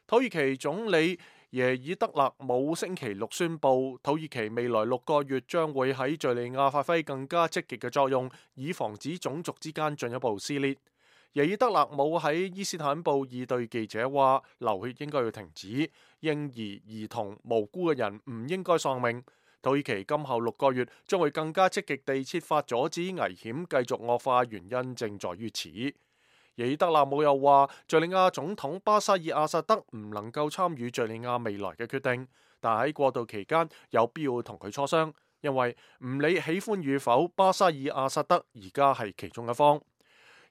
土耳其總理耶爾德勒姆星期六宣布，土耳其未來6個月將會喺敘利亞發揮更加積極嘅作用，以防止種族之間進一步撕裂。耶爾德勒姆喺伊斯坦布爾對記者話：流血應該要停止，嬰兒、兒童、無辜嘅人唔應該喪命。土耳其今後6個月將會更加積極地設法阻止危險繼續惡化，原因正在於此。耶爾德勒姆又話，敘利亞總統巴沙爾阿薩德唔能夠參與敘利亞未來嘅決定，但喺過渡期間有必要同佢磋商，因為唔理喜歡與否，巴沙爾阿薩德而家係其中一方。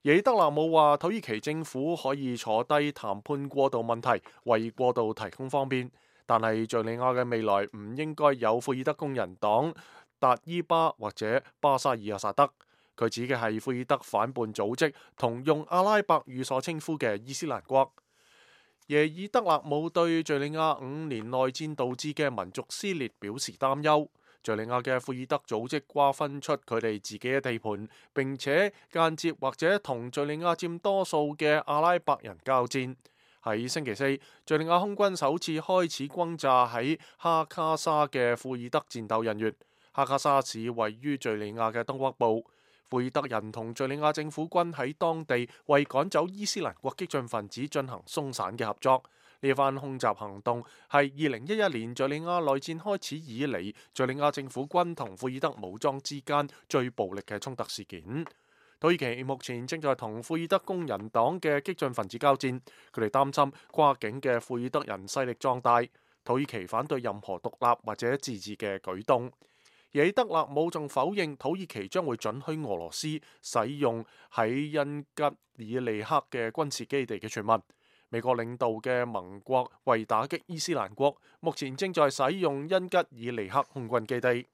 耶爾德勒姆話，土耳其政府可以坐低談判過渡問題，為過渡提供方便，但係敘利亞嘅未來唔應該有庫爾德工人黨、達伊巴或者巴沙爾阿薩德。佢指嘅係庫爾德反叛組織同用阿拉伯語所稱呼嘅伊斯蘭國。耶爾德勒姆對敘利亞5年內戰導致嘅民族撕裂表示擔憂。敘利亞嘅庫爾德組織瓜分出佢哋自己嘅地盤，並且間接或者同敘利亞佔多數嘅阿拉伯人交戰。喺星期四，敘利亞空軍首次開始轟炸喺哈卡沙嘅庫爾德戰鬥人員。哈卡沙市位於敘利亞嘅東北部。庫爾德人同敘利亞政府軍喺當地為趕走伊斯蘭國激進分子進行鬆散嘅合作。呢番空襲行動係2011年敘利亞內戰開始以嚟，敘利亞政府軍同庫爾德武裝之間最暴力嘅衝突事件。土耳其目前正在同庫爾德工人黨嘅激進分子交戰，佢哋擔心跨境嘅庫爾德人勢力壯大。土耳其反對任何獨立或者自治嘅舉動。耶爾德勒姆仲否認土耳其將會准許俄羅斯使用喺恩吉爾利克嘅軍事基地嘅傳聞。美國領導嘅盟國為打擊伊斯蘭國，目前正在使用恩吉爾利克空軍基地。